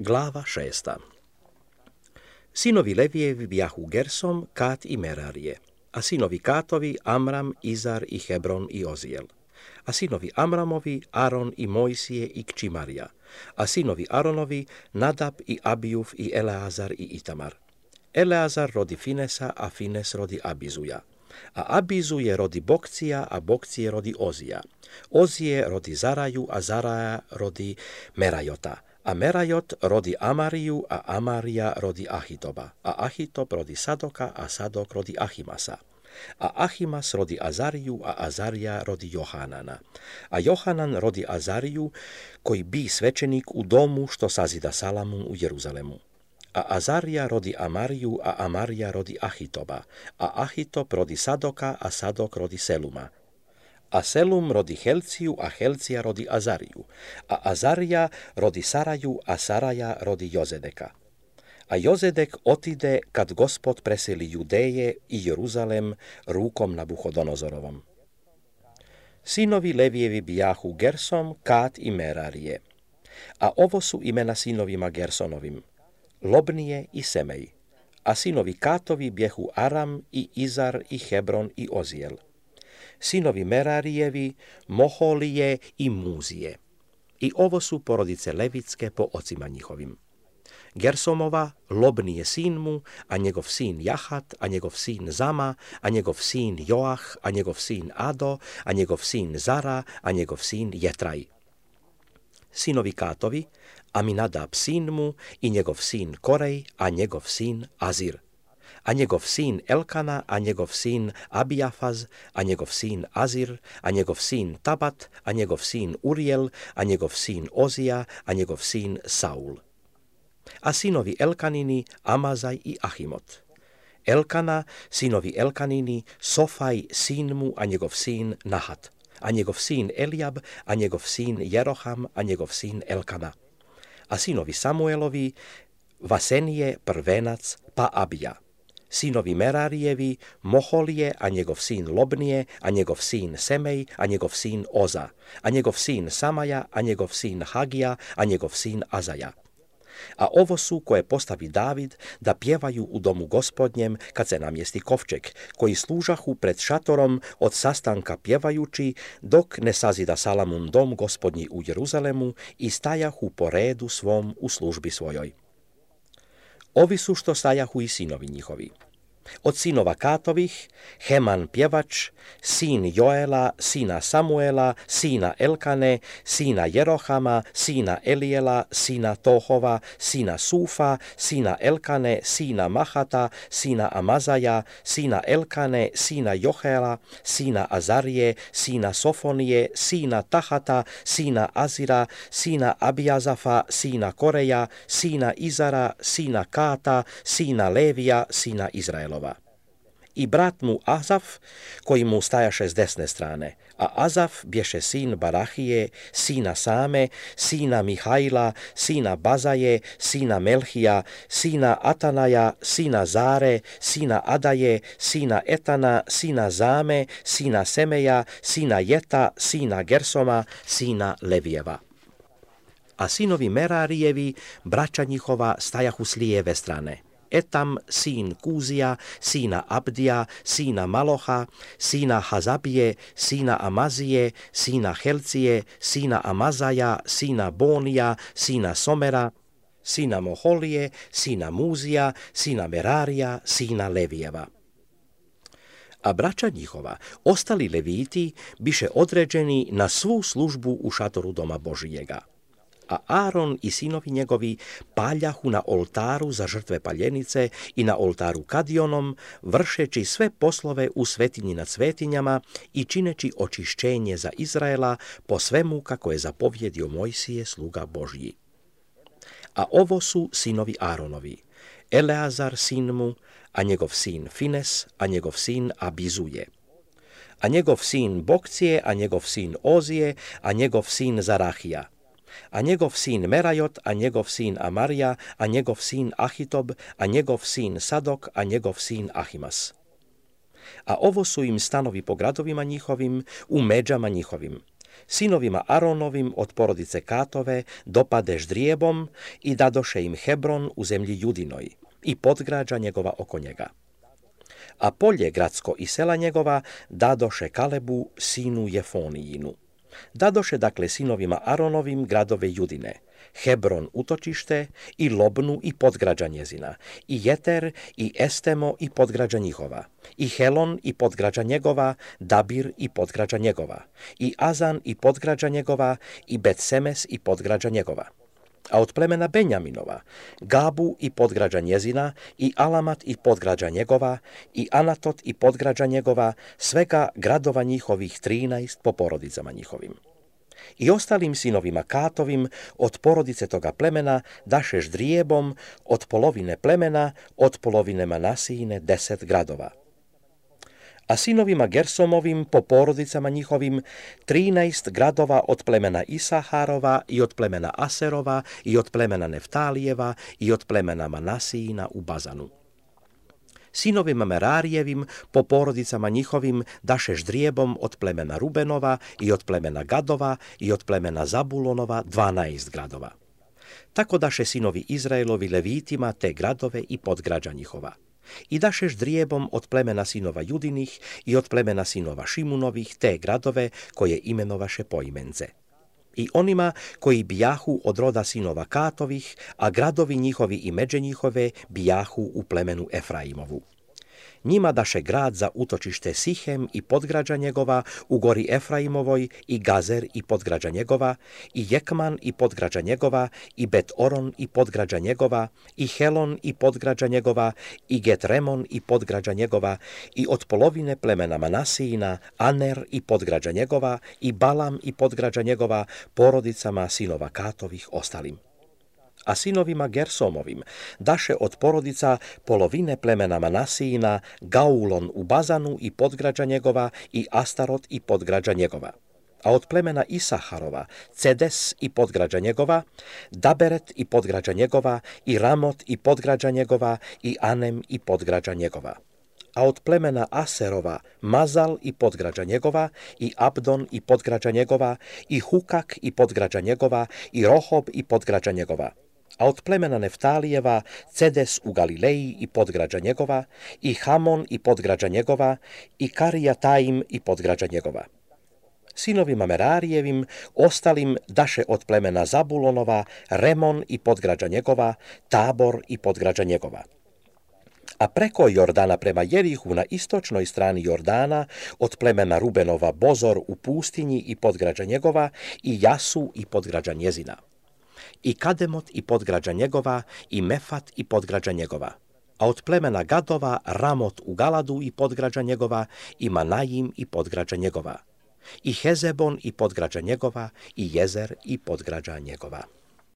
Glava 6. Sinovi Levijevi bijahu Gersom, Kat i Merarije, a sinovi Katovi Amram, Izar i Hebron i Ozijel, a sinovi Amramovi Aron i Mojsije i kći Marija, a sinovi Aronovi Nadab i Abijuf i Eleazar i Itamar. Eleazar rodi Finesa, a Fines rodi Abizuja, a Abizuje rodi Bokcija, a Bokcije rodi Ozija. Ozije rodi Zaraju, a Zaraja rodi Merajota, a Merajot rodi Amariju, a Amarija rodi Ahitoba, a Ahitob rodi Sadoka, a Sadok rodi Ahimasa, a Ahimas rodi Azariju, a Azarija rodi Johanana, a Johanan rodi Azariju, koji bi svećenik u domu što sazida Salamun u Jeruzalemu. A Azarija rodi Amariju, a Amarija rodi Ahitoba, a Ahitob rodi Sadoka, a Sadok rodi Seluma. A Selum rodi Helciju, a Helcija rodi Azariju, a Azarija rodi Saraju, a Saraja rodi Jozedeka. A Jozedek otide kad Gospod preseli Judeje i Jeruzalem rukom Nabuhodonozorovom. Sinovi Levijevi bijahu Gersom, Kat i Merarije, a ovo su imena sinovima Gersonovim, Lobnije i Semej, a sinovi Katovi bjehu Aram i Izar i Hebron i Ozijel. Sinovi Merarijevi, Moholije i Muzije. I ovo su porodice levitske po ocima njihovim. Gersomova, Lobnije sin mu, a njegov sin Jahat, a njegov sin Zama, a njegov sin Joah, a njegov sin Ado, a njegov sin Zara, a njegov sin Jetraj. Sinovi Katovi, Aminadab sin mu i njegov sin Korej, a njegov sin Azir, a njegov sin Elkana, a njegov sin Abijafaz, a njegov sin Azir, a njegov sin Tabat, a njegov sin Urijel, a njegov sin Ozija, a njegov sin Saul. A sinovi Elkanini, Amazaj i Ahimot. Elkana, sinovi Elkanini, Sofaj sin mu, a njegov sin Nahat, a njegov sin Elijab, a njegov sin Jeroham, a njegov sin Elkana. A sinovi Samuelovi, Vasenije, prvenac, pa Abija. Sinovi Merarijevi, Moholije, a njegov sin Lobnije, a njegov sin Semej, a njegov sin Oza, a njegov sin Samaja, a njegov sin Hagija, a njegov sin Azaja. A ovo su koje postavi David da pjevaju u domu Gospodnjem kad se namjesti kovčeg, koji služahu pred šatorom od sastanka pjevajući, dok ne sazida Salamun dom Gospodnji u Jeruzalemu i stajahu po redu svom u službi svojoj. Ovi su što stajahu i sinovi njihovi. Od sinova Katovih, Heman pjevač, sin Joela, sina Samuela, sina Elkane, sina Jerohama, sina Elijela, sina Tohova, sina Sufa, sina Elkane, sina Mahata, sina Amazaja, sina Elkane, sina Johela, sina Azarije, sina Sofonije, sina Tahata, sina Azira, sina Abijazafa, sina Koreja, sina Izara, sina Kata, sina Levija, sina Izraela. I brat mu Azaf, koji mu stajaše s desne strane, a Azaf bješe sin Barahije, sina Same, sina Mihajla, sina Bazaje, sina Melhija, sina Atanaja, sina Zare, sina Adaje, sina Etana, sina Zame, sina Semeja, sina Jeta, sina Gersoma, sina Levijeva. A sinovi Merarijevi, braća njihova, stajahu s lijeve strane. Etam, sin Kuzija, sina Abdija, sina Maloha, sina Hazabije, sina Amazije, sina Helcije, sina Amazaja, sina Bonija, sina Somera, sina Moholije, sina Muzija, sina Merarija, sina Levijeva. A braća njihova, ostali leviti, biše određeni na svu službu u šatoru doma Božijega. A Aron i sinovi njegovi paljahu na oltaru za žrtve paljenice i na oltaru Kadionom, vršeći sve poslove u svetinji nad svetinjama i čineći očišćenje za Izraela po svemu kako je zapovjedio Mojsije sluga Božji. A ovo su sinovi Aronovi, Eleazar sin mu, a njegov sin Fines, a njegov sin Abizuje, a njegov sin Bokcije, a njegov sin Ozije, a njegov sin Zarahija, a njegov sin Merajot, a njegov sin Amarija, a njegov sin Ahitob, a njegov sin Sadok, a njegov sin Ahimas. A ovo su im stanovi po gradovima njihovim, u međama njihovim. Sinovima Aronovim od porodice Katove dopade ždrijebom i dadoše im Hebron u zemlji Judinoj i podgrađa njegova oko njega. A polje gradsko i sela njegova dadoše Kalebu, sinu Jefonijinu. Dadoše dakle sinovima Aronovim gradove Judine, Hebron utočište i Lobnu i podgrađa njezina, i Jeter i Estemo i podgrađa njihova, i Helon i podgrađa njegova, Dabir i podgrađa njegova, i Azan i podgrađa njegova, i Bet-Semes i podgrađa njegova. A od plemena Benjaminova, Gabu i podgrađa njezina, i Alamat i podgrađa njegova, i Anatot i podgrađa njegova, svega gradova njihovih 13 po porodicama njihovim. I ostalim sinovima Katovim od porodice toga plemena daše ždrijebom od polovine plemena, od polovine Manasijine 10 gradova. A sinovima Gersomovim po porodicama njihovim 13 gradova od plemena Isaharova i od plemena Aserova i od plemena Neftalijeva i od plemena Manasijina u Bazanu. Sinovima Merarijevim po porodicama njihovim daše ždrijebom od plemena Rubenova i od plemena Gadova i od plemena Zabulonova 12 gradova. Tako daše sinovi Izraelovi Levitima te gradove i podgrađa njihova. I daše ždrijebom od plemena sinova Judinih i od plemena sinova Šimunovih te gradove koje imenovaše poimence. I onima koji bijahu od roda sinova Katovih, a gradovi njihovi i međe njihove bijahu u plemenu Efraimovu. Njima daše grad za utočište Sihem i podgrađa njegova u gori Efraimovoj, i Gazer i podgrađa njegova, i Jekman i podgrađa njegova, i Bet-Oron i podgrađa njegova, i Helon i podgrađa njegova, i Get-Remon i podgrađa njegova, i od polovine plemena Manasijina, Aner i podgrađa njegova, i Balam i podgrađa njegova, porodicama sinova Katovih ostalim. A sinovima Gersomovim daše od porodica polovine plemena Manasijina, Gaulon u Bazanu i podgrađa njegova, i Astarot i podgrađa njegova. A od plemena Isaharova, Cedes i podgrađa njegova, Daberet i podgrađa njegova, i Ramot i podgrađa njegova, i Anem i podgrađa njegova. A od plemena Aserova, Mazal i podgrađa njegova, i Abdon i podgrađa njegova, i Hukak i podgrađa njegova, i Rohob i podgrađa njegova. A od plemena Neftalijeva, Cedes u Galileji i podgrađa njegova, i Hamon i podgrađa njegova, i Karijataim i podgrađa njegova. Sinovima Merarijevim ostalim daše od plemena Zabulonova, Remon i podgrađa njegova, Tabor i podgrađa njegova. A preko Jordana prema Jerihu na istočnoj strani Jordana od plemena Rubenova Bozor u pustinji i podgrađa njegova, i Jasu i podgrađa njezina. I Kademot i podgrađa njegova, i Mefat i podgrađa njegova. A od plemena Gadova Ramot u Galadu i podgrađa njegova, i Manajim i podgrađa njegova. I Hezebon i podgrađa njegova, i Jezer i podgrađa njegova.